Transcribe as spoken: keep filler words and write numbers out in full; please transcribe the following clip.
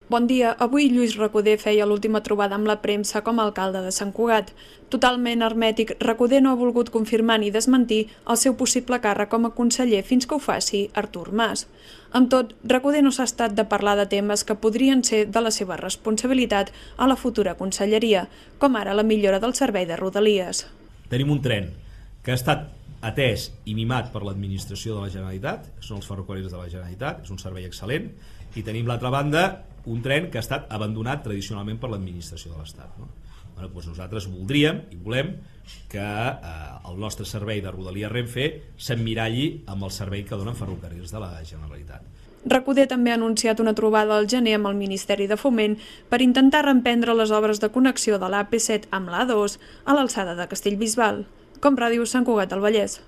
Bon dia. Avui Lluís Recoder feia l'última trobada amb la premsa com a alcalde de Sant Cugat. Totalment hermètic, Recoder no ha volgut confirmar ni desmentir el seu possible càrrec com a conseller fins que ho faci Artur Mas. Amb tot, Recoder no s'ha estat de parlar de temes que podrien ser de la seva responsabilitat a la futura conselleria, com ara la millora del servei de Rodalies. Tenim un tren que ha estat atès i mimat per l'administració de la Generalitat, són els ferrocarrils de la Generalitat, és un servei excel·lent, i tenim l'altra banda un tren que ha estat abandonat tradicionalment per l'administració de l'Estat. No? Bueno, doncs nosaltres voldríem i volem que eh, el nostre servei de Rodalies Renfe s'emmiralli amb el servei que donen ferrocarrils de la Generalitat. Recoder també ha anunciat una trobada al gener amb el Ministeri de Foment per intentar reemprendre les obres de connexió de l'A P set amb l'A dos a l'alçada de Castellbisbal. Com Ràdio Sant Cugat del Vallès.